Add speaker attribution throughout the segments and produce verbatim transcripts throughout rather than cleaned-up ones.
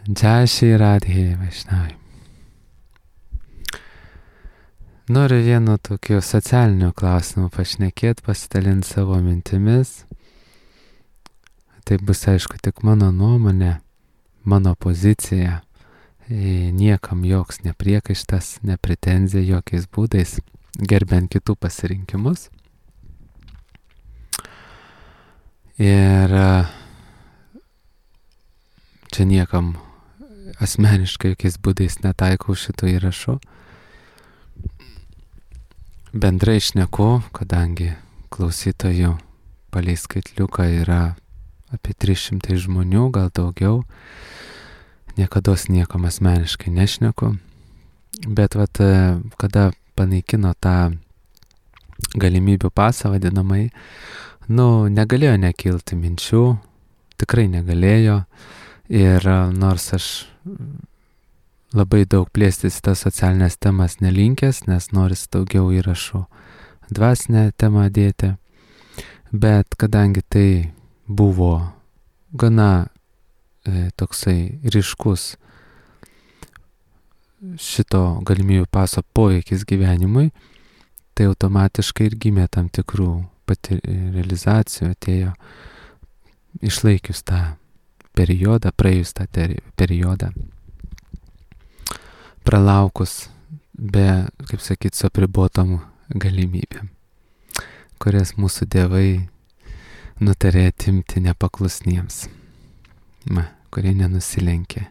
Speaker 1: Jai Shri Radhe Vaishnavai. Noriu vienu tokiu socialiniu klausimu pašnekėti, pasidalinti savo mintimis. Tai bus aišku tik mano nuomonė, mano pozicija. Niekam joks nepriekaištas, ne pretenzija jokiais būdais, gerbiant kitų pasirinkimus. Ir čia niekam asmeniškai jokiais būdais netaikau šito įrašo. Bendrai šneku, kadangi klausytojų palei skaitliuką yra apie trys šimtai žmonių, gal daugiau, niekados niekam asmeniškai nešneku. Bet vat, kada panaikino tą galimybių pasą vadinamai, nu, negalėjo nekilti minčių, tikrai negalėjo. Ir nors aš labai daug plėstis tas socialinės temas nelinkęs, nes noris daugiau įrašų dvasinę temą dėti, bet kadangi tai buvo gana e, toksai ryškus šito galimybių paso poveikis gyvenimui, tai automatiškai ir gimė tam tikrų pati realizacijų, atėjo išlaikius tą periodą, praėjus tą periodą, pralaukus be, kaip sakyt, su apribotom galimybėm, kurias mūsų dievai nutarė atimti nepaklusniems, ma, kurie nenusilenkė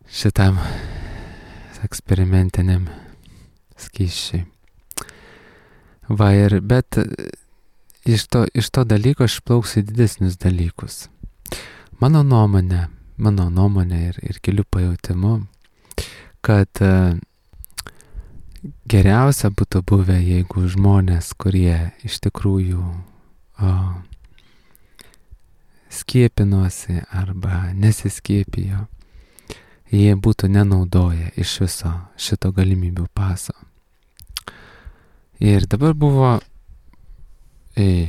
Speaker 1: šitam eksperimentiniam skysčiui. Va ir, bet iš to, iš to dalyko aš plauksiu didesnius dalykus. Mano nuomonė, mano nuomonė ir, ir kelių pajautimu, kad uh, geriausia būtų buvę, jeigu žmonės, kurie iš tikrųjų uh, skiepinosi arba nesiskiepijo, jie būtų nenaudoję iš viso šito galimybių paso. Ir dabar buvo e,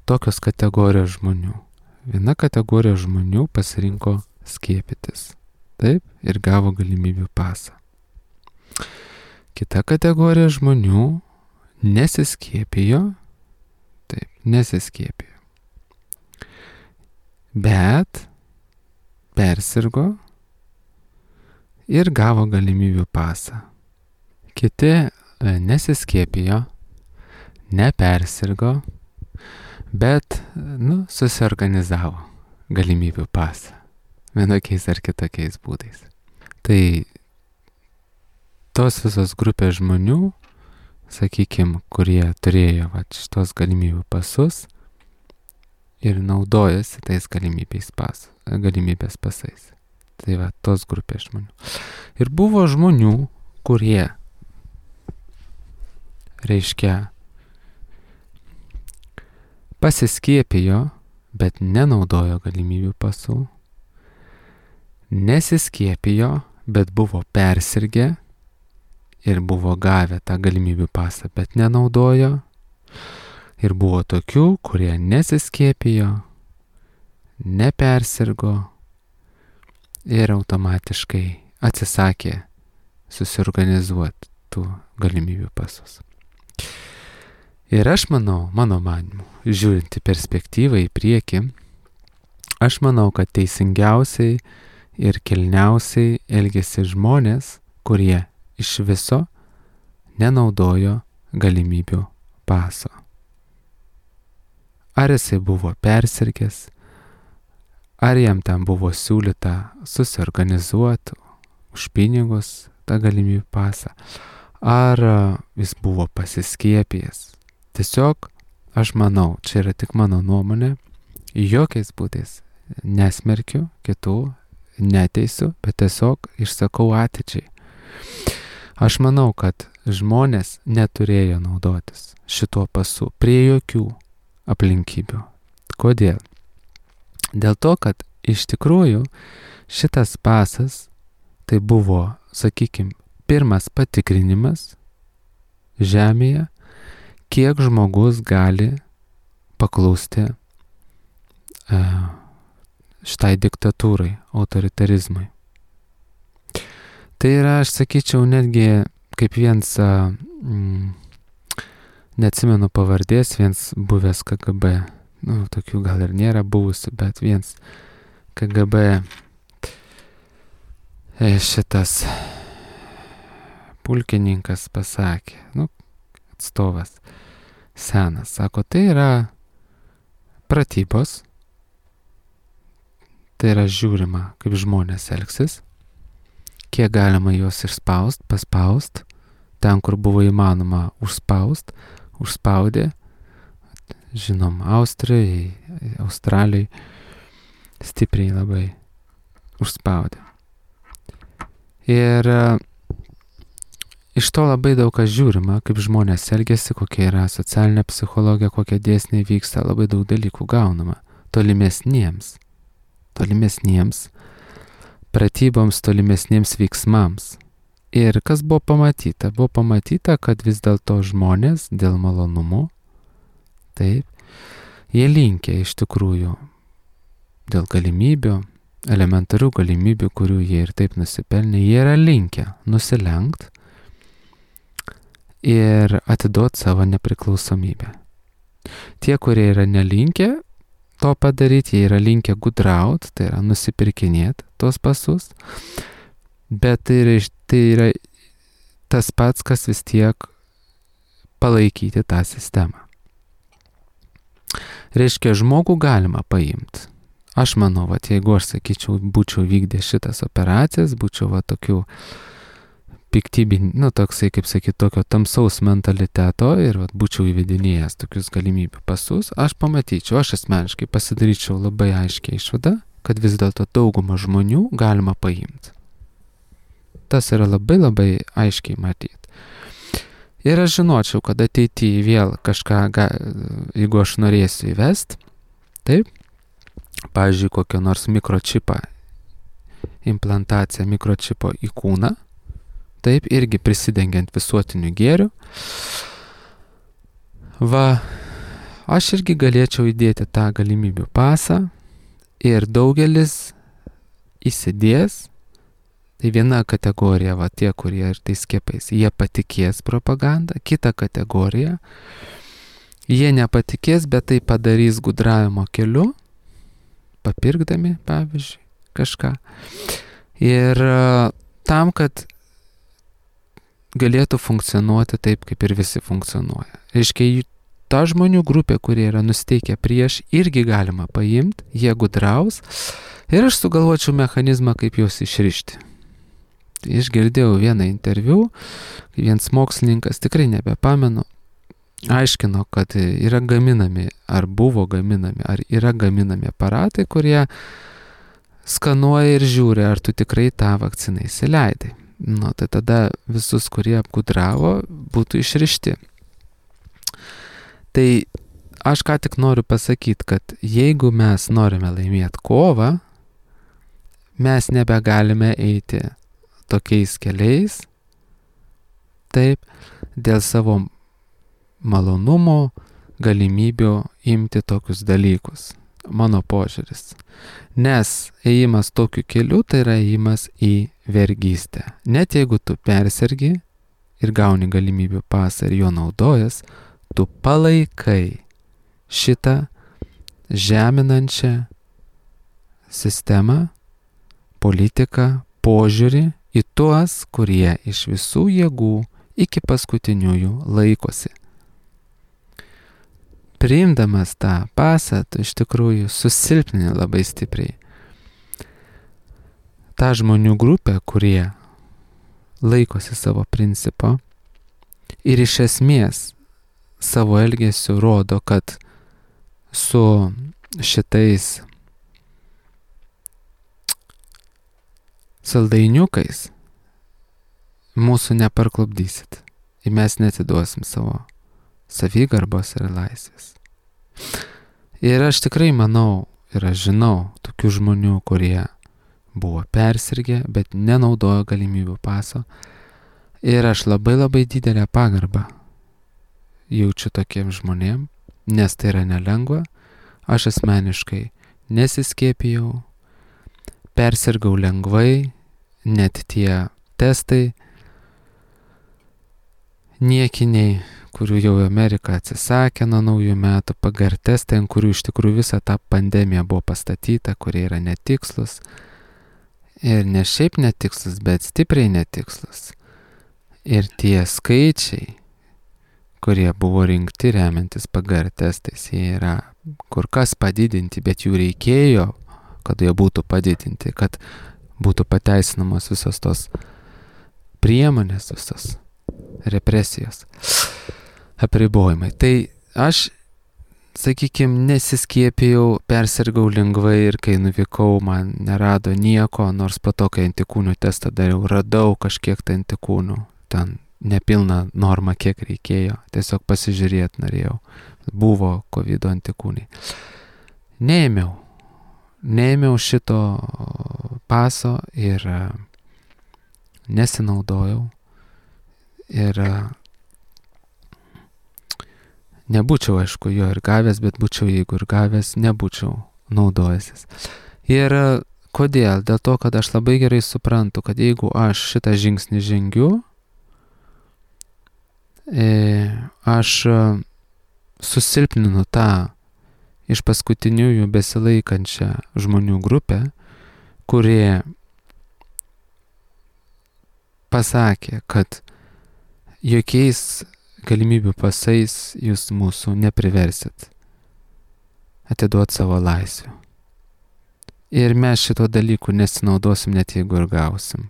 Speaker 1: tokios kategorijos žmonių. Viena kategorija žmonių pasirinko skiepytis. Taip, ir gavo galimybių pasą. Kita kategorija žmonių nesiskiepijo. Taip, nesiskiepijo. Bet persirgo ir gavo galimybių pasą. Kiti nesiskiepijo, nepersirgo, bet, nu, susiorganizavo galimybių pasą. Vienokiais ar kitokiais būdais. Tai tos visos grupės žmonių, sakykime, kurie turėjo va, šitos galimybių pasus ir naudojasi tais galimybės, pas, galimybės pasais. Tai va, tos grupės žmonių. Ir buvo žmonių, kurie reiškia pasiskiepijo, bet nenaudojo galimybių pasų, nesiskiepijo, bet buvo persirgę ir buvo gavę tą galimybių pasą, bet nenaudojo. Ir buvo tokių, kurie nesiskiepijo, nepersirgo ir automatiškai atsisakė susiorganizuoti tų galimybių pasus. Ir aš manau, mano manimu, žiūrint į perspektyvą į priekį, aš manau, kad teisingiausiai ir kilniausiai elgėsi žmonės, kurie iš viso nenaudojo galimybių paso. Ar jisai buvo persirgęs, ar jam tam buvo siūlyta susiorganizuoti už pinigus tą galimybių pasą, ar jis buvo pasiskiepijęs. Tiesiog, aš manau, čia yra tik mano nuomonė, jokiais būdais nesmerkiu kitų, neteisiu, bet tiesiog išsakau atidžiai. Aš manau, kad žmonės neturėjo naudotis šituo pasu prie jokių aplinkybių. Kodėl? Dėl to, kad iš tikrųjų šitas pasas tai buvo, sakykime, pirmas patikrinimas žemėje, kiek žmogus gali paklusti uh, šitai diktatūrai, autoritarizmui. Tai yra, aš sakyčiau, netgi kaip viens, mm, neatsimenu pavardės, viens buvęs K G B, nu, tokių gal ir nėra buvusių, bet viens K G B šitas pulkininkas pasakė, nu, atstovas senas, sako, tai yra pratybos, tai yra žiūrima, kaip žmonės elgsis, kiek galima juos išspaust, paspaust, ten, kur buvo įmanoma užspaust, užspaudė, žinom, Austrijai, Australijai, stipriai labai užspaudė. Ir iš to labai daug kas žiūrima, kaip žmonės elgiasi, kokia yra socialinė psichologija, kokie dėsniai vyksta, labai daug dalykų gaunama tolimesniems, tolimesniems pratyboms, tolimesniems veiksmams. Ir kas buvo pamatyta? Buvo pamatyta, kad vis dėlto žmonės dėl malonumų, taip, jie linkia iš tikrųjų dėl galimybių, elementarių galimybių, kurių jie ir taip nusipelnė, jie yra linkę nusilenkt ir atiduoti savo nepriklausomybę. Tie, kurie yra nelinkę to padaryti, jie yra linkę gudraut, tai yra nusipirkinėti tos pasus, bet tai yra, tai yra tas pats, kas vis tiek palaikyti tą sistemą. Reiškia, žmogų galima paimti. Aš manau, va, jeigu aš sakyčiau, būčiau vykdė šitas operacijas, būčiau va tokių piktybinių, nu toksai, kaip sakyti, tokio tamsaus mentaliteto ir va, būčiau įvedinėjęs tokius galimybių pasus, aš pamatyčiau, aš asmeniškai pasidaryčiau labai aiškiai išvadą, kad vis dėlto daugumą žmonių galima paimti. Tas yra labai labai aiškiai matyti. Ir aš žinočiau, kad ateityje vėl kažką, jeigu aš norėsiu įvesti, taip, pavyzdžiui, kokią nors mikročipą, implantaciją mikročipo į kūną, taip, irgi prisidengiant visuotiniu gėriu, va, aš irgi galėčiau įdėti tą galimybių pasą ir daugelis įsidės. Tai viena kategorija, va tie, kurie ir tai skiepais, jie patikės propagandą, kita kategorija, jie nepatikės, bet tai padarys gudravimo keliu, papirkdami, pavyzdžiui, kažką. Ir tam, kad galėtų funkcionuoti taip, kaip ir visi funkcionuoja. Reiškia, ta žmonių grupė, kurie yra nusteikę prieš, irgi galima paimti, jie gudraus ir aš sugalvočiau mechanizmą, kaip juos išrišti. Išgirdėjau vieną interviu, vienas mokslininkas, tikrai nebepamenu, aiškino, kad yra gaminami, ar buvo gaminami, ar yra gaminami aparatai, kurie skanuoja ir žiūri, ar tu tikrai tą vakciną įsileidai. Nu, tai tada visus, kurie apgudravo, būtų išrišti. Tai aš ką tik noriu pasakyti, kad jeigu mes norime laimėti kovą, mes nebegalime eiti tokiais keliais, taip, dėl savo malonumo, galimybių imti tokius dalykus. Mano požiūris. Nes ėjimas tokiu keliu, tai yra ėjimas į vergystę. Net jeigu tu persergi ir gauni galimybių pasą ir jo naudojas, tu palaikai šitą žeminančią sistemą, politiką, požiūrį į tuos, kurie iš visų jėgų iki paskutiniųjų laikosi. Priimdamas tą pasą, tu iš tikrųjų susilpnini labai stipriai tą žmonių grupę, kurie laikosi savo principo ir iš esmės savo elgesiu rodo, kad su šitais saldainiukais mūsų neparklupdysit ir mes netiduosim savo savigarbos ir laisvės. Ir aš tikrai manau ir aš žinau tokių žmonių, kurie buvo persirgę, bet nenaudojo galimybių paso. Ir aš labai labai didelę pagarbą jaučiu tokiem žmonėm, nes tai yra nelengva. Aš asmeniškai nesiskiepijau, persirgau lengvai, net tie testai niekiniai, kurių jau Amerika atsisakė nuo naujų metų, P G R testai, ant kurių iš tikrųjų visa ta pandemija buvo pastatyta, kurie yra netikslus. Ir ne šiaip netikslus, bet stipriai netikslus. Ir tie skaičiai, kurie buvo rinkti remiantis P G R testais, jie yra kur kas padidinti, bet jų reikėjo, kad jie būtų padidinti, kad būtų pateisinamos visos tos priemonės, visos represijos, apribojimai. Tai aš, sakykime, nesiskiepijau, persirgau lengvai ir kai nuvykau, man nerado nieko, nors po to, kai antikūnų testą dariau, radau kažkiek tai antikūnų, ten nepilna norma, kiek reikėjo, tiesiog pasižiūrėti norėjau, buvo kovido antikūnai. Neėmiau, neėmiau šito paso ir nesinaudojau ir nebūčiau, aišku, jo ir gavęs, bet būčiau, jeigu ir gavęs, nebūčiau naudojęsis. Ir kodėl? Dėl to, kad aš labai gerai suprantu, kad jeigu aš šitą žingsnį žengiu, aš susilpninu tą iš paskutiniųjų besilaikančią žmonių grupę, kurie pasakė, kad jokiais galimybių pasais jūs mūsų nepriversit atiduoti savo laisvių. Ir mes šito dalykų nesinaudosim, net jeigu ir gausim.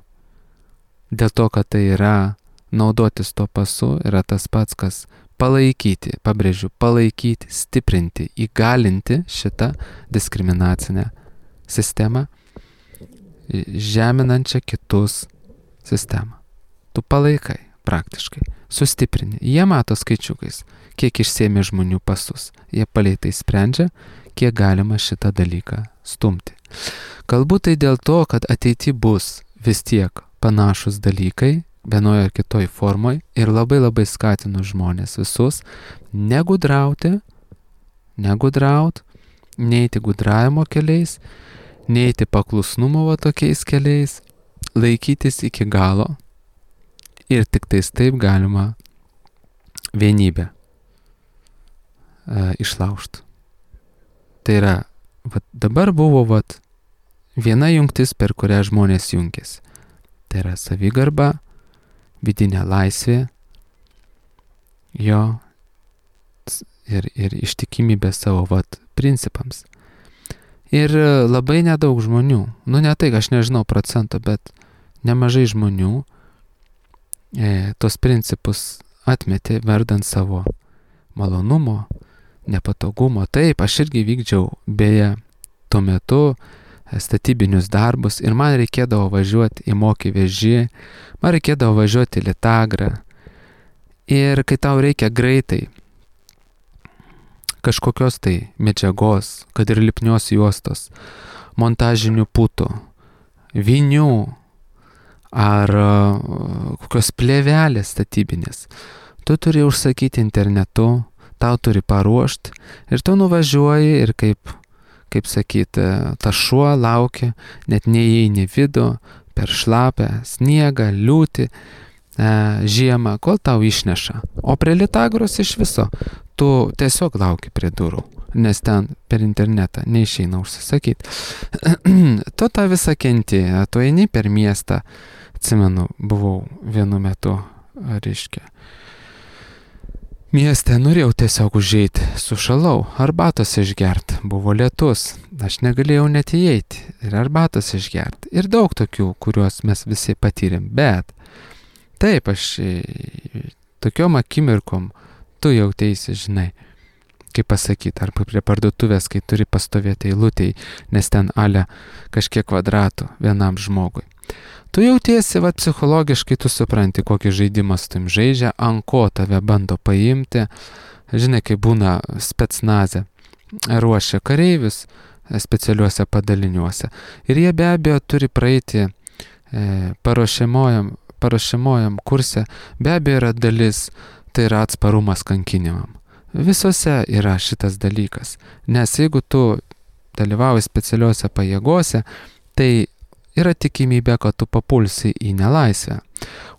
Speaker 1: Dėl to, kad tai yra naudotis to pasu, yra tas pats, kas palaikyti, pabrėžiu, palaikyti, stiprinti, įgalinti šitą diskriminacinę sistemą, žeminančią kitus sistemą. Tu palaikai praktiškai, sustiprini. Jie mato skaičiukais, kiek išsėmė žmonių pasus. Jie palei tai sprendžia, kiek galima šitą dalyką stumti. Galbūt tai dėl to, kad ateity bus vis tiek panašus dalykai, vienoje ar kitoj formoj, ir labai labai skatinu žmonės visus negudrauti, negudraut, neiti gudravimo keliais, neiti paklusnumo va tokiais keliais, laikytis iki galo ir tik tais taip galima vienybę e, išlaužti. Tai yra, vat, dabar buvo vat, viena jungtis, per kurią žmonės jungėsi. Tai yra savigarba, vidinė laisvė, jo ir, ir ištikimybė savo vat, principams. Ir labai nedaug žmonių, nu ne tai, aš nežinau procento, bet nemažai žmonių e, tos principus atmetė verdant savo malonumo, nepatogumo. Taip, aš irgi vykdžiau beje tuo metu statybinius darbus ir man reikėdavo važiuoti į Mokį Vežį, man reikėdavo važiuoti į Litagrą. Ir kai tau reikia greitai kažkokios tai medžiagos, kad ir lipnios juostos, montažinių putų, vinių ar kokios plėvelės statybinės, tu turi užsakyti internetu, tau turi paruošti ir tu nuvažiuoji ir kaip, kaip sakyti, ta šuo laukia, net neįeini vidų, per šlapę sniegą, liūtį, e, žiemą, kol tau išneša. O prie Litagros iš viso tu tiesiog lauki prie durų, nes ten per internetą neišeina užsisakyti. Tu tą visą kenti, tu eini per miestą, atsimenu, buvau vienu metu, reiškia, mieste, norėjau tiesiog užeiti, sušalau, arbatos išgert, buvo lietus, aš negalėjau net įeiti ir arbatos išgert. Ir daug tokių, kuriuos mes visi patyrėm, bet taip, aš tokiom akimirkom, tu jautėsi, žinai, kaip pasakyti, arba prie parduotuvės, kai turi pastovėti eilutėj, nes ten ale kažkiek kvadratų vienam žmogui. Tu jautiesi, va, psichologiškai tu supranti, kokį žaidimą su tim žaidžia, ant ko tave bando paimti. Žinai, kai būna specnaze, ruošia kareivius specialiuose padaliniuose. Ir jie be abejo turi praeiti e, paruošiamojam, paruošiamojam kurse, be abejo yra dalis, tai yra atsparumas kankinimam. Visose yra šitas dalykas, nes jeigu tu dalyvauji specialiuose pajėgose, tai yra tikimybė, kad tu papulsi į nelaisvę.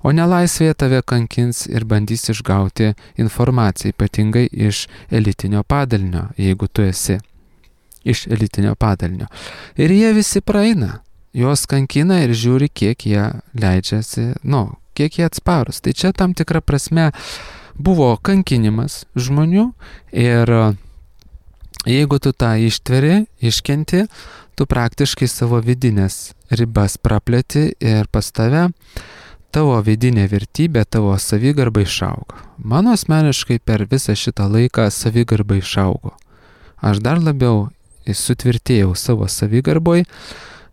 Speaker 1: O nelaisvėje tave kankins ir bandys išgauti informaciją, ypatingai iš elitinio padalinio, jeigu tu esi iš elitinio padalinio. Ir jie visi praeina, juos kankina ir žiūri, kiek jie leidžiasi, nu, kiek jie atsparus. Tai čia tam tikra prasme buvo kankinimas žmonių ir jeigu tu tą ištveri, iškenti, tu praktiškai savo vidinės ribas praplėti ir pas tave tavo vidinė vertybė, tavo savigarba išaugo. Mano asmeniškai per visą šitą laiką savigarba išaugo. Aš dar labiau sutvirtėjau savo savigarboj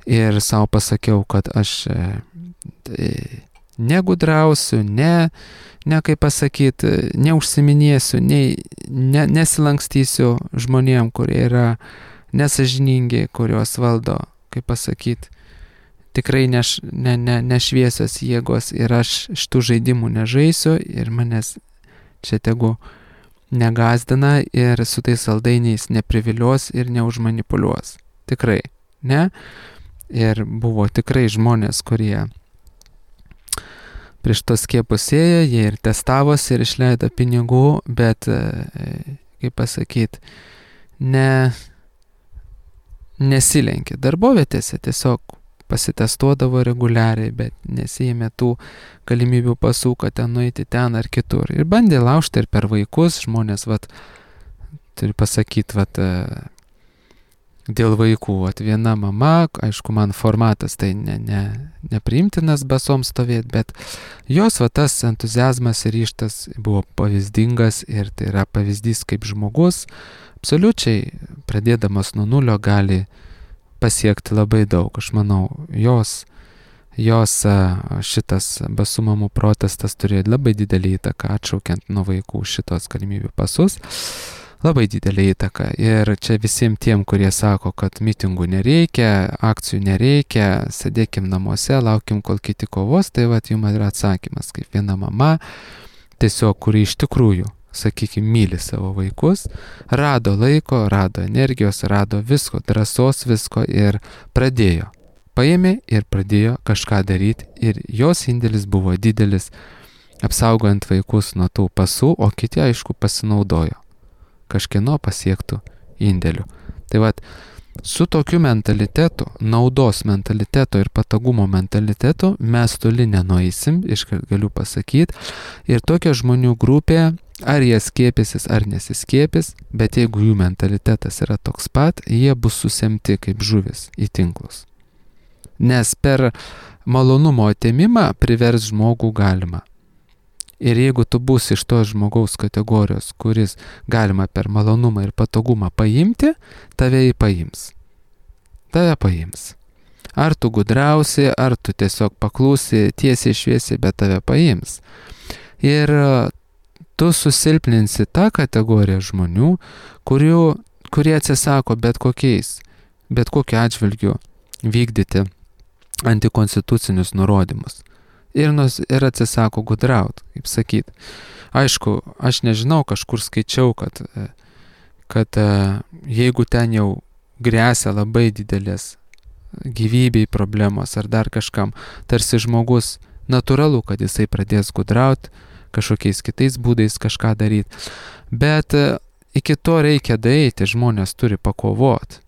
Speaker 1: ir savo pasakiau, kad aš e, negudrausiu, ne, ne kaip pasakyti, neužsiminėsiu, ne, ne, nesilankstysiu žmonėm, kurie yra nesažiningi, kurios valdo, kaip pasakyti, tikrai neš, ne, ne, nešviesios jėgos ir aš šitų žaidimų nežaisiu ir manęs čia tegu negazdina ir su tais saldainiais neprivilios ir neužmanipuliuos. Tikrai, ne? Ir buvo tikrai žmonės, kurie prieš tos skiepus ėjo, jie ir testavosi ir išleido pinigų, bet, kaip pasakyti, ne, nesilenkė darbovietėse, tiesiog pasitestuodavo reguliariai, bet nesijėmė tų galimybių pasų, kad ten nueiti ten ar kitur. Ir bandė laužti ir per vaikus, žmonės, vat, turiu pasakyti, vat, dėl vaikų, vat, viena mama, aišku, man formatas tai ne, ne, nepriimtinas basom stovėti, bet jos, vat, tas entuziazmas ir ryžtas buvo pavyzdingas ir tai yra pavyzdys kaip žmogus, absoliučiai pradėdamas nuo nulio gali pasiekti labai daug. Aš manau, jos, jos šitas basų mamų protestas turėjo labai didelį įtaką, atšaukiant nuo vaikų šitos galimybių pasus. Labai didelį įtaką. Ir čia visiems tiem, kurie sako, kad mitingų nereikia, akcijų nereikia, sėdėkim namuose, laukim, kol kiti kovos, tai vat jums yra atsakymas, kaip viena mama, tiesiog, kuri iš tikrųjų, sakykime, myli savo vaikus, rado laiko, rado energijos, rado visko, drąsos visko ir pradėjo. Paėmė ir pradėjo kažką daryti ir jos indėlis buvo didelis, apsaugojant vaikus nuo tų pasų, o kiti, aišku, pasinaudojo kažkieno pasiektų indėlių. Tai vat, su tokiu mentalitetu, naudos mentalitetu ir patogumo mentalitetu mes toli nenueisim, iškart galiu pasakyti, ir tokia žmonių grupė, ar jie skiepysis, ar nesiskiepys, bet jeigu jų mentalitetas yra toks pat, jie bus susemti kaip žuvis į tinklus. Nes per malonumo atėmimą privers žmogų galima. Ir jeigu tu būsi iš tos žmogaus kategorijos, kuris galima per malonumą ir patogumą paimti, tave jį paims. Tave paims. Ar tu gudrausi, ar tu tiesiog paklūsi tiesiai šviesiai, bet tave paims. Ir tu susilpninsi tą kategoriją žmonių, kurių, kurie atsisako bet kokiais, bet kokiu atžvilgiu vykdyti antikonstitucinius nurodymus. Ir, nus, ir atsisako gudraut, kaip sakyt. Aišku, aš nežinau, kažkur skaičiau, kad, kad jeigu ten jau grėsia labai didelės gyvybei problemos ar dar kažkam, tarsi žmogus natūralu, kad jisai pradės gudraut, kažkokiais kitais būdais kažką daryti. Bet iki to reikia daeiti, žmonės turi pakovoti.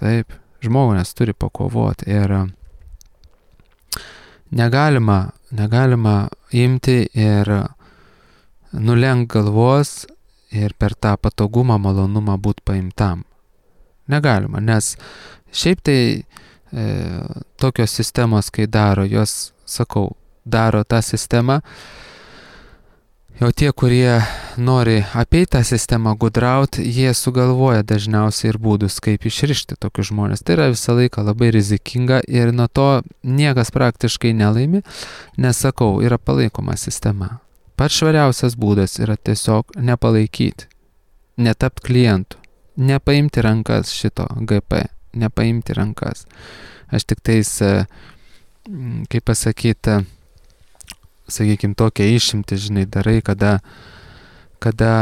Speaker 1: Taip, žmonės turi pakovoti ir Negalima, negalima imti ir nulenk galvos ir per tą patogumą, malonumą būti paimtam. Negalima, nes šiaip tai e, tokios sistemos, kai daro, jos, sakau, daro tą sistemą, jau tie, kurie nori apeiti tą sistemą, gudrauti, jie sugalvoja dažniausiai ir būdus, kaip išrišti tokius žmonės. Tai yra visą laiką labai rizikinga ir nuo to niekas praktiškai nelaimi, nes, sakau, yra palaikoma sistema. Pats švariausias būdas yra tiesiog nepalaikyti, netapti klientų, nepaimti rankas šito G P, nepaimti rankas. Aš tik tais, kaip pasakyti, sakykime, tokią išimtį, žinai, darai, kada, kada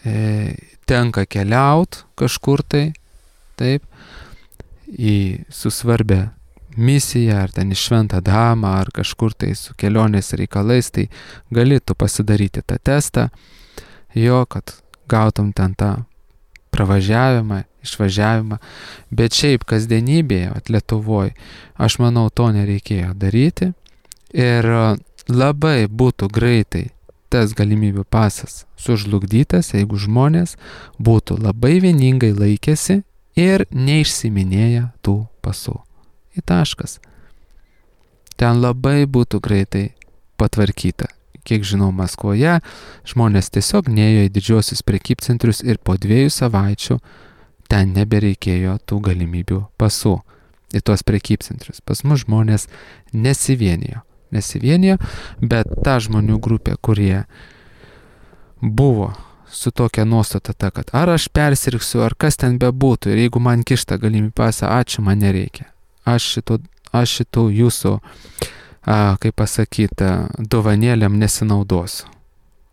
Speaker 1: e, tenka keliaut kažkur tai, taip, į susvarbę misiją, ar ten į šventą damą, ar kažkur tai su kelionės reikalais, tai gali tu pasidaryti tą testą, jo, kad gautum ten tą pravažiavimą, išvažiavimą, bet šiaip kasdienybėje, at Lietuvoje, aš manau, to nereikėjo daryti ir labai būtų greitai tas galimybių pasas sužlugdytas, jeigu žmonės būtų labai vieningai laikėsi ir neišsiminėja tų pasų. Į taškas. Ten labai būtų greitai patvarkyta. Kiek žinau, Maskvoje žmonės tiesiog nėjo į didžiosius prekybcentrius ir po dviejų savaičių ten nebereikėjo tų galimybių pasų į tuos prekybcentrius. Pas mus žmonės nesivienijo. Nesivienijo, bet ta žmonių grupė, kurie buvo su tokia nuostata ta, kad ar aš persirgsiu, ar kas ten bebūtų, ir jeigu man kišta galimybė pasą, ačiū, man nereikia. Aš šitų, aš šitų jūsų, a, kaip pasakyti, dovanėlėm nesinaudosiu.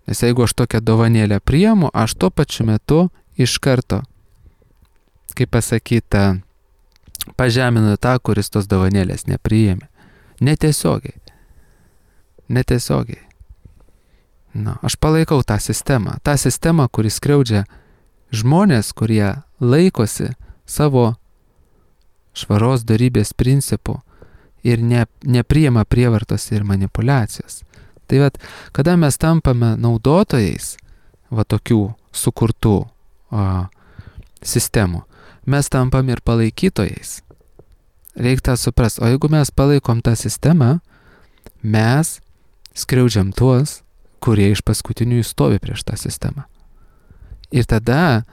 Speaker 1: Nes jeigu aš tokią dovanėlę priimu, aš tuo pačiu metu iš karto, kaip pasakyti, pažeminu tą, kuris tos dovanėlės nepriėmė. Netiesiogiai. Netiesiogiai. Na, aš palaikau tą sistemą. Ta sistema, kuris skriaudžia žmonės, kurie laikosi savo švaros dorybės principų ir ne, nepriima prievartos ir manipulacijos. Tai vat, kada mes tampame naudotojais va tokių sukurtų o, sistemų, mes tampam ir palaikytojais. Reikia tą suprast. O jeigu mes palaikom tą sistemą, mes skriaudžiam tuos, kurie iš paskutinių stovi prieš tą sistemą. Ir tada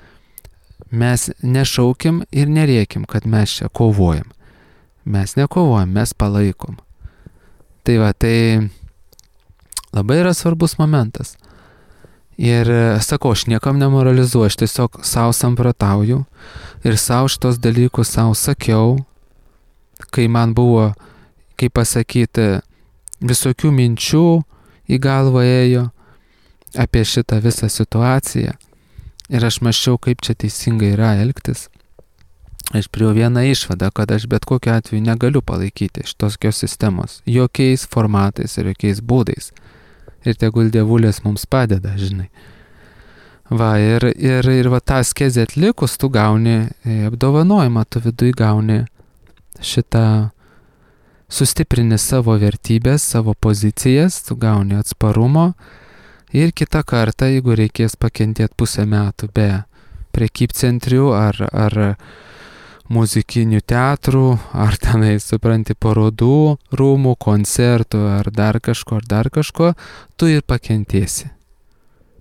Speaker 1: mes nešaukim ir nerėkim, kad mes čia kovojam. Mes nekovojam, mes palaikom. Tai va, tai labai yra svarbus momentas. Ir sakau, aš niekam nemoralizuoju, aš tiesiog savo samprotauju ir savo šitos dalykus savo sakiau, kai man buvo, kaip pasakyti, visokių minčių į galvą ėjo apie šitą visą situaciją. Ir aš mąsčiau, kaip čia teisingai yra elgtis. Aš priėjau vieną išvadą, kad aš bet kokiu atveju negaliu palaikyti šitos sistemos jokiais formatais ir jokiais būdais. Ir tegul dievulės mums padeda, žinai. Va, ir, ir, ir va tą askezę atlikus, tu gauni apdovanojimą, tu viduj gauni šitą, sustiprini savo vertybės, savo pozicijas, tu gauni atsparumo. Ir kitą kartą, jeigu reikės pakentėti pusę metų be prekybcentrių ar, ar muzikinių teatrų, ar tenai, supranti, parodų, rūmų, koncertų, ar dar kažko, ar dar kažko, tu ir pakentėsi.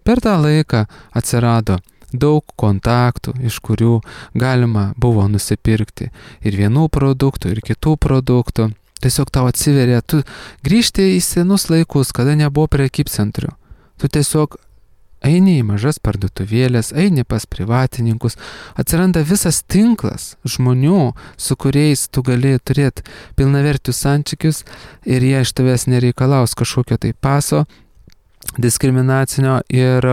Speaker 1: Per tą laiką atsirado daug kontaktų, iš kurių galima buvo nusipirkti ir vienų produktų, ir kitų produktų. Tiesiog tau atsiveria, tu grįžti į senus laikus, kada nebuvo prekybcentrių. Tu tiesiog eini į mažas parduotuvėlės, eini pas privatininkus, atsiranda visas tinklas žmonių, su kuriais tu gali turėti pilnavertius santykius ir jie iš tavęs nereikalaus kažkokio tai paso diskriminacinio ir,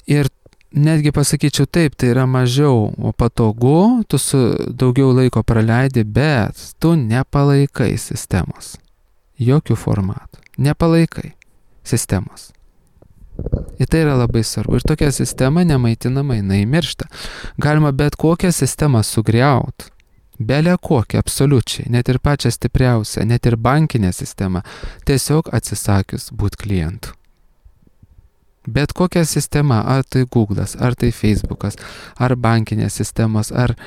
Speaker 1: ir netgi pasakyčiau taip, tai yra mažiau patogu, tu su daugiau laiko praleidi, bet tu nepalaikai sistemos. Jokių formatų. Nepalaikai sistemos. Ir tai yra labai svarbu. Ir tokia sistema nemaitinama, jinai miršta. Galima bet kokią sistemą sugriauti. Belė kokią, absoliučiai. Net ir pačią stipriausią, net ir bankinę sistemą. Tiesiog atsisakius būti klientų. Bet kokia sistema, ar tai Google'as, ar tai Facebook'as, ar bankinės sistemos, ar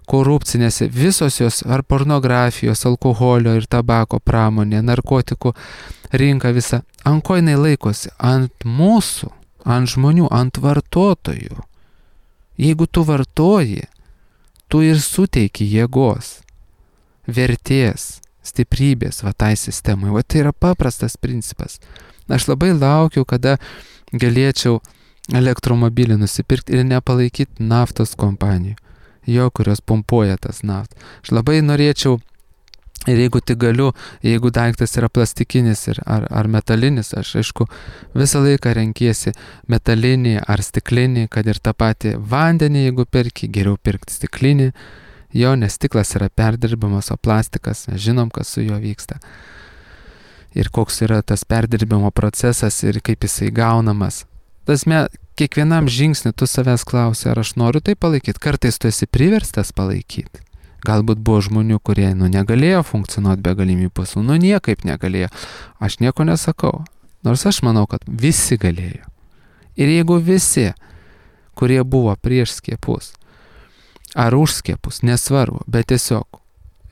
Speaker 1: korupcinės, visos jos, ar pornografijos, alkoholio ir tabako pramonė, narkotikų rinka visa, ant ko jinai laikosi? Ant mūsų, ant žmonių, ant vartotojų. Jeigu tu vartoji, tu ir suteiki jėgos, vertės, stiprybės va tai sistemai. Va tai yra paprastas principas. Aš labai laukiu, kada galėčiau elektromobilį nusipirkti ir nepalaikyti naftos kompanijų, jo, kurios pumpuoja tas naftą. Aš labai norėčiau, ir jeigu tik galiu, jeigu daiktas yra plastikinis ir, ar, ar metalinis, aš aišku visą laiką renkiesi metalinį ar stiklinį, kad ir tą patį vandenį, jeigu perki, geriau pirkti stiklinį, Jo, nes stiklas yra perdirbamas, o plastikas, mes žinom, kas su juo vyksta. Ir koks yra tas perdirbimo procesas ir kaip jisai gaunamas. Tasme, kiekvienam žingsnį tu savęs klausi, ar aš noriu tai palaikyti. Kartais tu esi priverstas palaikyti. Galbūt buvo žmonių, kurie nu, negalėjo funkcionuoti be galimybių pasų, nu niekaip negalėjo. Aš nieko nesakau, nors aš manau, kad visi galėjo. Ir jeigu visi, kurie buvo prieš skiepus, ar už skiepus, nesvarbu, bet tiesiog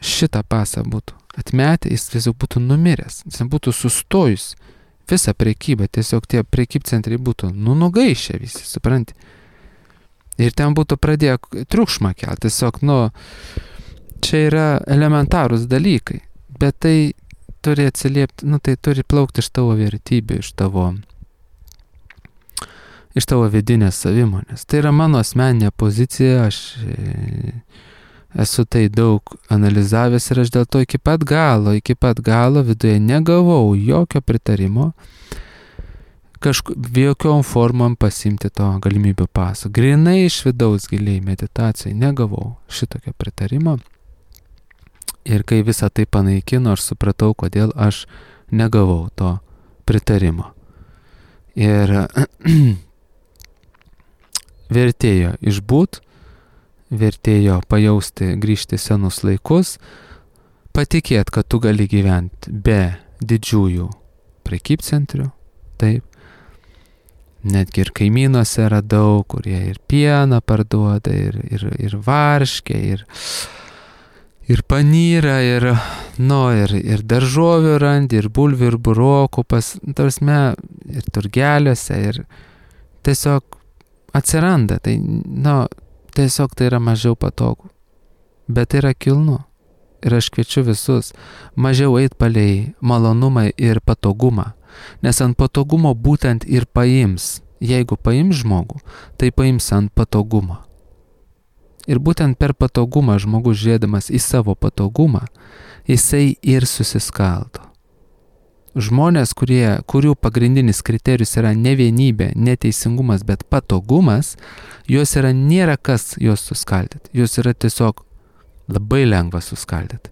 Speaker 1: šitą pasą būtų atmetę, jis tiesiog būtų numiręs, jis būtų sustojus visą prekybą, tiesiog tie prekybcentriai būtų nu nugaišę visi, supranti. Ir ten būtų pradėję triukšmą kelti, tiesiog, nu, čia yra elementarūs dalykai, bet tai turi atsiliepti, nu, tai turi plaukti iš tavo vertybių, iš tavo, iš tavo vidinės savimonės. Tai yra mano asmeninė pozicija, aš e, esu tai daug analizavęs ir aš dėl to iki pat galo, iki pat galo viduje negavau jokio pritarimo kažku, jokiom formom pasimti to galimybių paso. Grinai iš vidaus giliai meditacijai negavau šitokio pritarimo. Ir kai visą tai panaikino, aš supratau, kodėl aš negavau to pritarimo. Ir vertėjo išbūt, vertėjo pajausti, grįžti senus laikus, patikėt, kad tu gali gyventi be didžiųjų prekybcentrių, taip. Netgi ir kaimynuose radau, kurie ir pieną parduoda, ir, ir, ir varškę, ir, ir panyrą, ir, nu, ir, ir daržovių randi, ir bulvių, ir burokų, pas, tarsme, ir turgeliuose, ir tiesiog atsiranda, tai, nu, tiesiog tai yra mažiau patogu, bet tai yra kilnu. Ir aš kviečiu visus mažiau eit palei malonumą ir patogumą, nes ant patogumo būtent ir paims. Jeigu paims žmogų, tai paims ant patogumo. Ir būtent per patogumą žmogus žiūrėdamas į savo patogumą, jisai ir susiskaldo. Žmonės, kurie, kurių pagrindinis kriterijus yra ne vienybė, ne teisingumas, bet patogumas, juos yra nėra kas juos suskaldyti. Juos yra tiesiog labai lengva suskaldyti.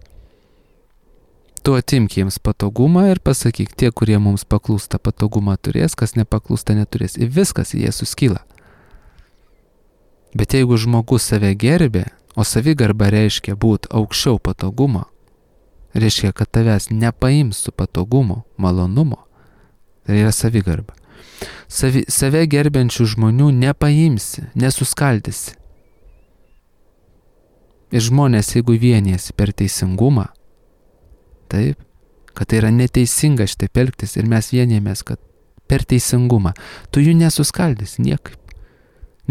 Speaker 1: Tu atimk jiems patogumą ir pasakyk, tie, kurie mums paklūsta, patogumą turės, kas nepaklūsta, neturės. Ir viskas, jie suskyla. Bet jeigu žmogus save gerbė, o savigarba reiškia būti aukščiau patogumo, reiškia, kad tavęs nepaims su patogumu, malonumu, tai yra savigarba. Savi, save gerbiančių žmonių nepaimsi, nesuskaldysi. Ir žmonės, jeigu vienijasi per teisingumą, taip, kad tai yra neteisinga šitaip elgtis ir mes vienijamės, kad per teisingumą, tu jų nesuskaldys niekaip.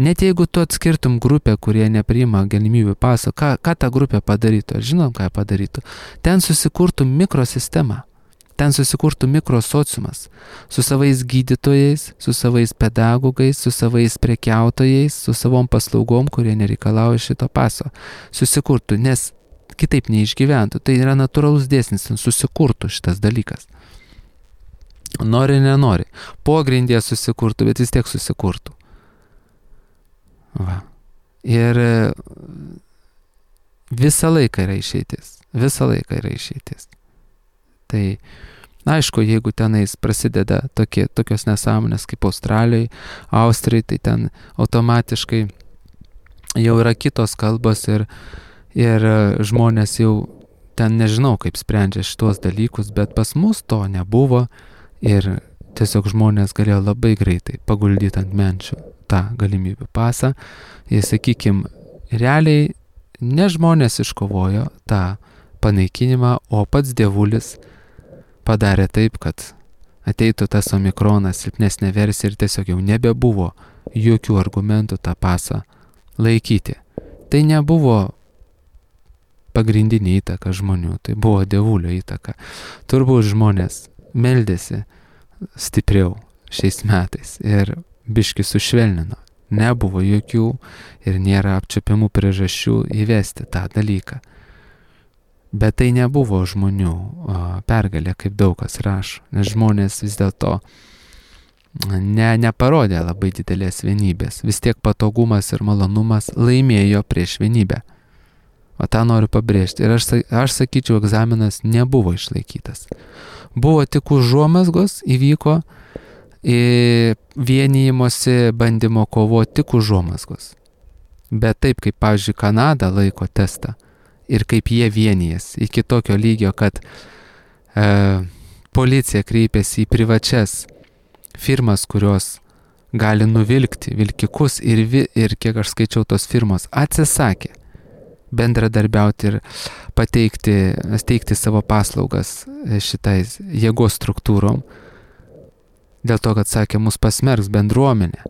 Speaker 1: Net jeigu tu atskirtum grupę, kurie nepriima galimybių paso, ką, ką ta grupė padarytų, ar žinom, ką padarytų, ten susikurtų mikrosistema, ten susikurtų mikrosociumas su savais gydytojais, su savais pedagogais, su savais prekiautojais, su savom paslaugom, kurie nereikalauja šito paso. Susikurtų, nes kitaip neišgyventų. Tai yra natūralus dėsnis, susikurtų šitas dalykas. Nori, nenori. Pogrindė susikurtų, bet vis tiek susikurtų. Va. Ir visą laiką yra išeitis. Visą laiką yra išeitis. Tai, aišku, jeigu tenais prasideda tokie, tokios nesąmonės kaip Australijai, Austrijai, tai ten automatiškai jau yra kitos kalbos ir Ir žmonės jau ten nežinau, kaip sprendžia šitos dalykus, bet pas mus to nebuvo ir tiesiog žmonės galėjo labai greitai paguldyti ant menčių tą galimybių pasą. Ir, sakykime, realiai ne žmonės iškovojo tą panaikinimą, o pats dievulis padarė taip, kad ateitų tas omikronas, silpnesnė versija ir tiesiog jau nebebuvo jokių argumentų tą pasą laikyti. Tai nebuvo pagrindinė įtaka žmonių, tai buvo dievulio įtaka. Turbūt žmonės meldėsi stipriau šiais metais ir biški sušvelnino. Nebuvo jokių ir nėra apčiuopiamų priežasčių įvesti tą dalyką. Bet tai nebuvo žmonių o, pergalė, kaip daug kas rašo, nes žmonės vis dėlto ne, neparodė labai didelės vienybės. Vis tiek patogumas ir malonumas laimėjo prieš vienybę. O tą noriu pabrėžti. Ir aš, aš sakyčiau, egzaminas nebuvo išlaikytas. Buvo tik užuomazgos, įvyko vienijimosi bandymo kovo tik užuomazgos. Bet taip, kaip, pavyzdžiui, Kanada laiko testą ir kaip jie vienijas iki tokio lygio, kad e, policija kreipėsi į privačias firmas, kurios gali nuvilkti vilkikus ir, vi, ir kiek aš skaičiau, tos firmos atsisakė bendradarbiauti ir pateikti, steigti savo paslaugas šitais jėgos struktūrom. Dėl to, kad sakė, mus pasmerks bendruomenė.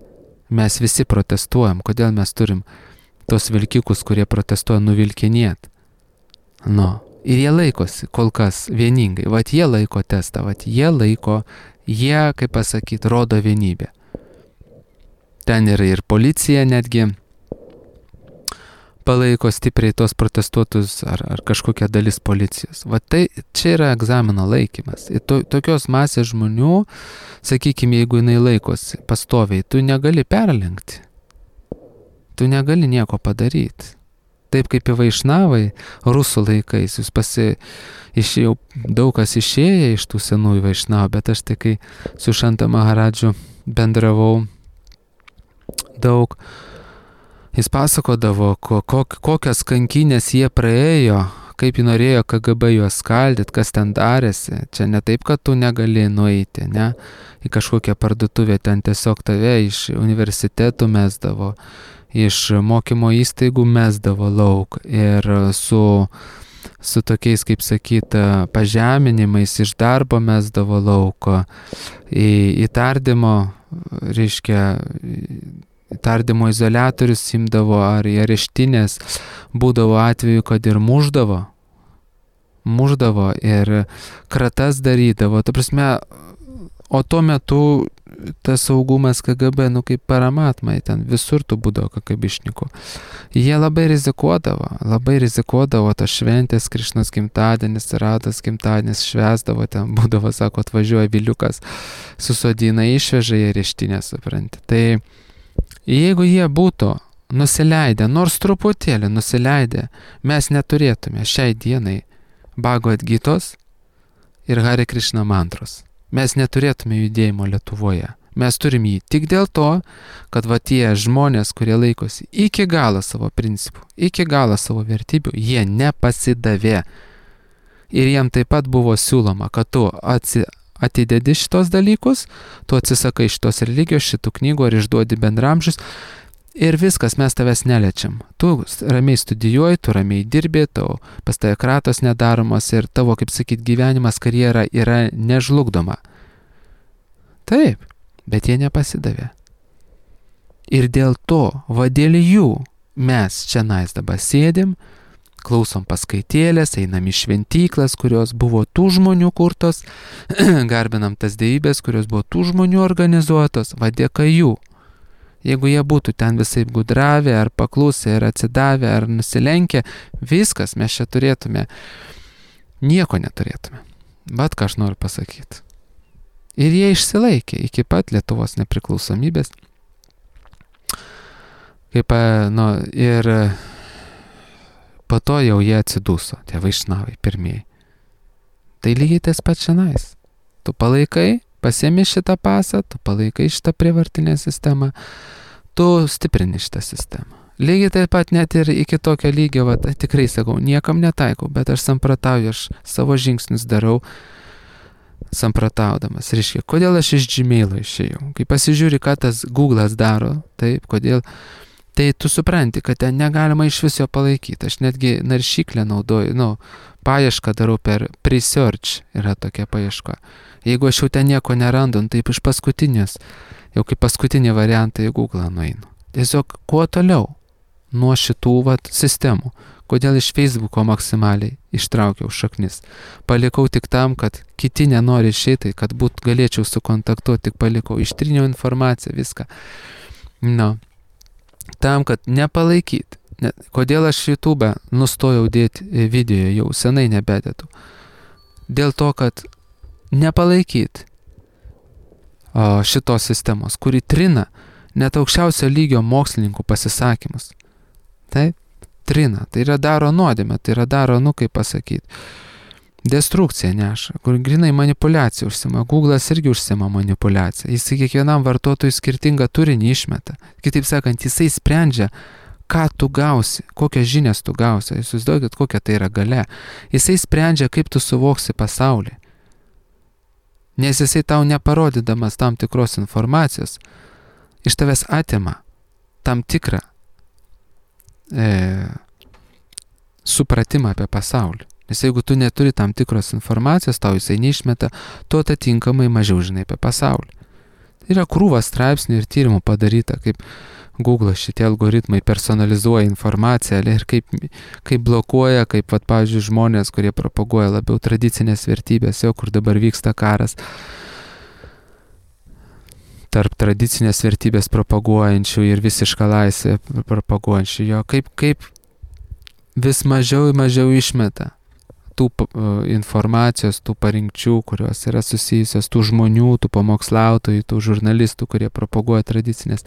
Speaker 1: Mes visi protestuojam. Kodėl mes turim tos vilkikus, kurie protestuoja, nuvilkinėt? Nu, ir jie laikosi kol kas vieningai. Vat jie laiko testą, vat jie laiko, jie, kaip pasakyti, rodo vienybę. Ten yra ir policija netgi palaiko stipriai tos protestuotus ar, ar kažkokia dalis policijos. Va tai čia yra egzamino laikymas. Ir to, tokios masės žmonių, sakykime, jeigu jinai laikosi pastoviai, tu negali perlenkti. Tu negali nieko padaryti. Taip kaip į Vaišnavai rusų laikais, jūs pasi, išėjau, daug kas išėję iš tų senųjų Vaišnavų, bet aš tai kai su Šanta Maharadžu bendravau daug, jis pasakodavo, ko, kok, kokias kankynės jie praėjo, kaip jį norėjo K G B juos skaldyti, kas ten darėsi. Čia ne taip, kad tu negali nueiti, ne? Į kažkokią parduotuvę, ten tiesiog tave iš universitetų mesdavo, iš mokymo įstaigų mesdavo lauk ir su, su tokiais, kaip sakyt, pažeminimais iš darbo mesdavo lauko, į, į tardymo, reiškia, tardymo izoliatorius imdavo ar į areštinės, būdavo atveju, kad ir muždavo, muždavo ir kratas darydavo. Ta prasme, o tuo metu tas saugumas K G B, nu kaip paramatmai, ten visur tu būdavo kakabišnikų. Jie labai rizikuodavo, labai rizikuodavo tas šventės, Krišnos gimtadienis, Rados gimtadienis, švęsdavo, ten būdavo, sako, atvažiuoja viliukas, susodina, išveža į areštinę, supranti. Tai jeigu jie būtų nusileidę, nors truputėlį nusileidę, mes neturėtume šiai dienai Bhagavad Gitos ir Hare Krishna mantros. Mes neturėtume judėjimo Lietuvoje. Mes turim jį tik dėl to, kad va tie žmonės, kurie laikosi iki galo savo principų, iki galo savo vertybių, jie nepasidavė. Ir jiem taip pat buvo siūloma, kad tu atsi, atidedi šitos dalykus, tu atsisakai šitos religijos, šitų knygų ar išduodi bendramžius ir viskas, mes tavęs neliečiam. Tu ramiai studijuoji, tu ramiai dirbi, tau pas tave kratos nedaromas ir tavo, kaip sakyt, gyvenimas, karjera yra nežlugdoma. Taip, bet jie nepasidavė. Ir dėl to, va dėl jų, mes čia nais dabar sėdim, klausom paskaitėlės, einam į šventyklas, kurios buvo tų žmonių kurtos, garbinam tas dievybės, kurios buvo tų žmonių organizuotos, va dėka jų. Jeigu jie būtų ten visaip gudravę, ar paklusę, ar atsidavę, ar nusilenkę, viskas mes čia turėtume, nieko neturėtume. Bet ką aš noriu pasakyti. Ir jie išsilaikė iki pat Lietuvos nepriklausomybės. Kaip, nu, ir po to jau jie atsiduso, tie Vaišnavai pirmieji. Tai lygiai tas pats šiandien. Tu palaikai, pasiemi šitą pasą, tu palaikai šitą prievartinę sistemą, tu stiprini šitą sistemą. Lygiai taip pat net ir iki tokio lygio, va, tikrai sakau, niekam netaikau, bet aš sampratauju, aš savo žingsnius darau samprataudamas. Reiškia, kodėl aš iš Gmailo išėjau? Kai pasižiūri, ką tas Google'as daro, taip, kodėl, tai tu supranti, kad ten negalima iš viso palaikyti. Aš netgi naršyklę naudoju, nu, paiešką darau per Presearch, yra tokia paieška. Jeigu aš jau ten nieko nerandu, taip iš paskutinės, jau kaip paskutinį variantą į Google nueinu. Tiesiog kuo toliau nuo šitų vat, sistemų. Kodėl iš Facebooko maksimaliai ištraukiau šaknis. Palikau tik tam, kad kiti nenori išeiti, kad būt galėčiau sukontaktuoti, tik palikau, ištriniau informaciją, viską. Nu, tam, kad nepalaikyti. Ne, kodėl aš YouTube nustojau dėti video, jau senai nebededu. Dėl to, kad nepalaikyti o, šitos sistemos, kuri trina net aukščiausio lygio mokslininkų pasisakymus. Taip? trina, tai yra daro nuodėmę, tai yra daro, nu kaip pasakyti, destrukciją neša, kur grinai manipulacija užsima. Google'as irgi užsima manipulaciją. Jisai kiekvienam vartotojui skirtingą turinį išmeta. Kitaip sakant, jisai sprendžia, ką tu gausi, kokias žinias tu gausi. Jūs įsivaizduokit, kokia tai yra galia. Jisai sprendžia, kaip tu suvoksi pasaulį. Nes jisai tau neparodydamas tam tikros informacijos, iš tavęs atima tam tikrą e, supratimą apie pasaulį. Nes jeigu tu neturi tam tikros informacijos, tau jisai neišmeta, tu atitinkamai mažiau žinai apie pasaulį. Tai yra krūva straipsnių ir tyrimų padaryta, kaip Google šitie algoritmai personalizuoja informaciją ir kaip, kaip blokuoja, kaip, vat, pavyzdžiui, žmonės, kurie propaguoja labiau tradicinės vertybės, jau kur dabar vyksta karas tarp tradicinės vertybės propaguojančių ir visišką laisvę propaguojančių, jo kaip, kaip vis mažiau ir mažiau išmeta tų uh, informacijos, tų parinkčių, kurios yra susijusios, tų žmonių, tų pamokslautojų, tų žurnalistų, kurie propaguoja tradicinės,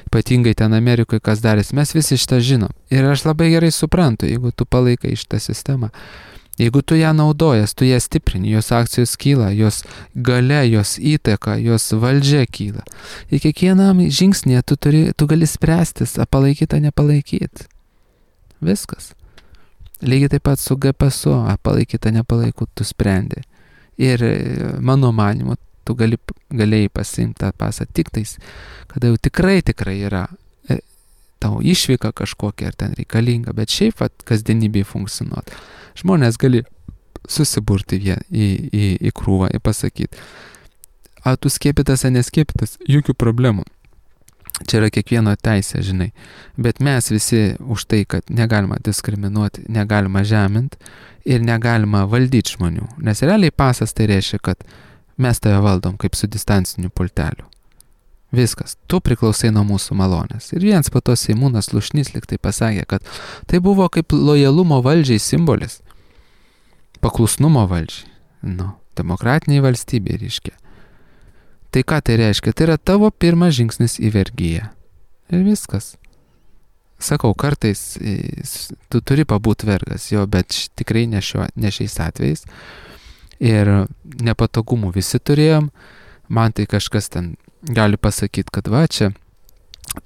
Speaker 1: ypatingai ten Amerikoje, kas darėsi. Mes visi šitą žinom. Ir aš labai gerai suprantu, jeigu tu palaikai šitą sistemą, jeigu tu ją naudojas, tu ją stiprini, jos akcijos kyla, jos galia, jos įtaka, jos valdžia kyla. Ir kiekvienam žingsnėje tu, turi, tu gali spręstis, a palaikyti, a nepalaikyti. Viskas. Lygiai taip pat su G P S, a palaikyta, nepalaikų, tu sprendi. Ir mano manimu, tu gali, galėjai pasiimti tą pasą tik tais, kada jau tikrai, tikrai yra e, tau išvyka kažkokia ar ten reikalinga, bet šiaip vat, kasdienybėje funkcionuoti. Žmonės gali susiburti vien į, į, į krūvą ir pasakyti, a tu skiepytas, a neskiepytas, jokių problemų. Čia yra kiekvieno teisė, žinai. Bet mes visi už tai, kad negalima diskriminuoti, negalima žeminti ir negalima valdyti žmonių. Nes realiai pasas tai reiškia, kad mes tave valdom kaip su distanciniu pulteliu. Viskas. Tu priklausai nuo mūsų malonės. Ir viens po to Seimūnas Lušnys lyg tai pasakė, kad tai buvo kaip lojalumo valdžiai simbolis. Paklusnumo valdžiai. Nu, demokratiniai valstybė reiškia. Tai ką tai reiškia? Tai yra tavo pirmas žingsnis į vergiją. Ir viskas. Sakau, kartais tu turi pabūt vergas, jo, bet tikrai ne, šio, ne šiais atvejais. Ir nepatogumų visi turėjom. Man tai kažkas ten gali pasakyti, kad va čia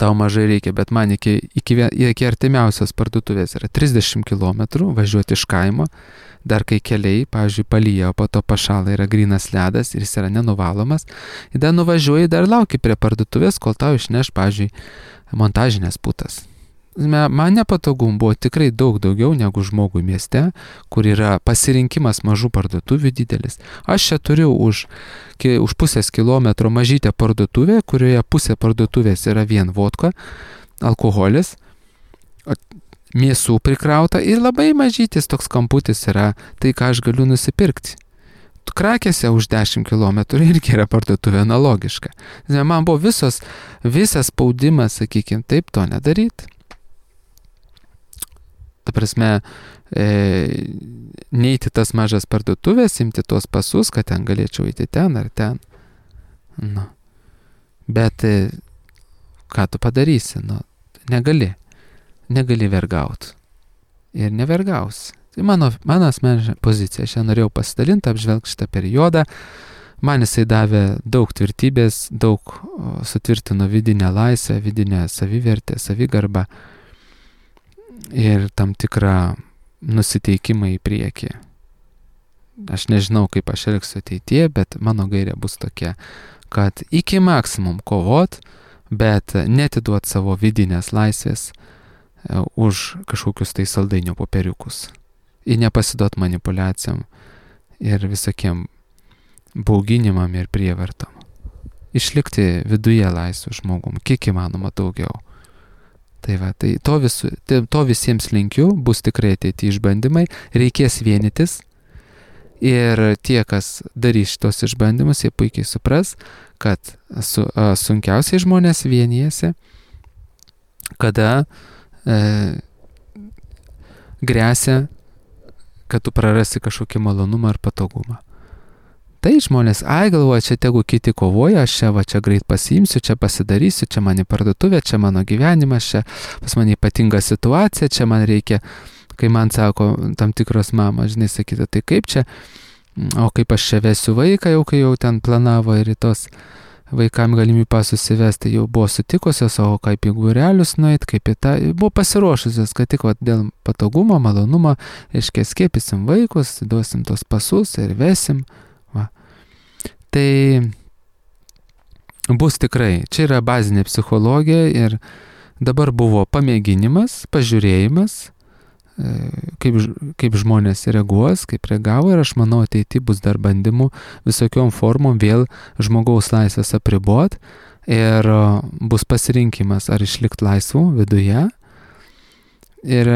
Speaker 1: tau mažai reikia, bet man iki, iki, iki artimiausios parduotuvės yra trisdešimt kilometrų važiuoti iš kaimo. Dar kai keliai, pavyzdžiui, palyja, o po to pašala yra grynas ledas ir jis yra nenuvalomas, ir dar nuvažiuoji, dar lauki prie parduotuvės, kol tau išneš, pavyzdžiui, montažinės putas. Man nepatogum buvo tikrai daug daugiau negu žmogui mieste, kur yra pasirinkimas mažų parduotuvių didelis. Aš čia turiu už, už pusės kilometro mažytę parduotuvę, kurioje pusė parduotuvės yra vien vodka, alkoholis, mėsų prikrauta ir labai mažytis toks kamputis yra tai, ką aš galiu nusipirkti. Krakėse už dešimt kilometrų irgi yra parduotuvė analogiška. Man buvo visos, visas spaudimas, sakykime, taip to nedaryti. Ta prasme, e, neiti tas mažas parduotuvės, imti tuos pasus, kad ten galėčiau eiti ten ar ten. Nu. Bet e, ką tu padarysi? Nu, negali. Negali vergauti. Ir nevergausi. Tai mano, mano asmeninė pozicija. Aš norėjau pasidalinti, apžvelgti šitą periodą. Man jisai davė daug tvirtybės, daug o, sutvirtino vidinę laisvę, vidinę savivertę, savigarbą ir tam tikrą nusiteikimą į priekį. Aš nežinau, kaip aš elgsiu ateityje, bet mano gairė bus tokia, kad iki maksimum kovot, bet netiduot savo vidinės laisvės už kažkokius tai saldainių popieriukus. Ir nepasiduot manipulacijom ir visokiem bauginimam ir prievartam. Išlikti viduje laisvų žmogum, kiek įmanoma daugiau. Tai va, tai to, visu, to visiems linkiu, bus tikrai ateity išbandymai, reikės vienytis. Ir tie, kas darys šitos išbandymus, jie puikiai supras, kad su, a, sunkiausiai žmonės vienijasi, kada e, grėsia, kad tu prarasi kažkokį malonumą ar patogumą. Tai žmonės, ai galvoja, čia tegu kiti kovoja, aš čia va čia greit pasiimsiu, čia pasidarysiu, čia man į parduotuvę, čia mano gyvenimas, čia pas mane ypatinga situacija, čia man reikia, kai man sako tam tikros mamos, žinai, sakyti, tai kaip čia, o kaip aš čia vesiu vaiką, jau kai jau ten planavo ir į tos vaikam galimybę pasus įvesti, jau buvo sutikusios, o kaip į būrelius nueit, kaip į tą, buvo pasiruošusios, kad tik va, dėl patogumo, malonumo, reiškia, skiepysim vaikus, duosim tos pasus ir vesim. Va. Tai bus tikrai, čia yra bazinė psichologija ir dabar buvo pamėginimas, pažiūrėjimas, kaip, kaip žmonės reaguos, kaip reagavo ir aš manau ateity bus dar bandymų visokiom formom vėl žmogaus laisvės apribot ir bus pasirinkimas ar išlikti laisvų viduje ir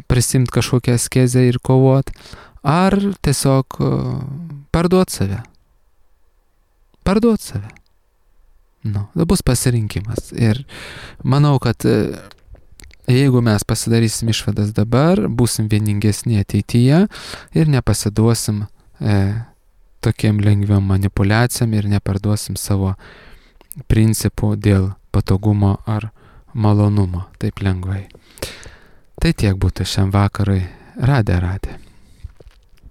Speaker 1: prisimti kažkokią askezę ir kovot, ar tiesiog parduot save. Parduot save. Nu, bus pasirinkimas ir manau, kad jeigu mes pasidarysim išvadas dabar, būsim vieningesni ateityje ir nepasiduosim e, tokiem lengviam manipulacijam ir neparduosim savo principų dėl patogumo ar malonumo taip lengvai. Tai tiek būtų šiam vakarui. Radė, radė.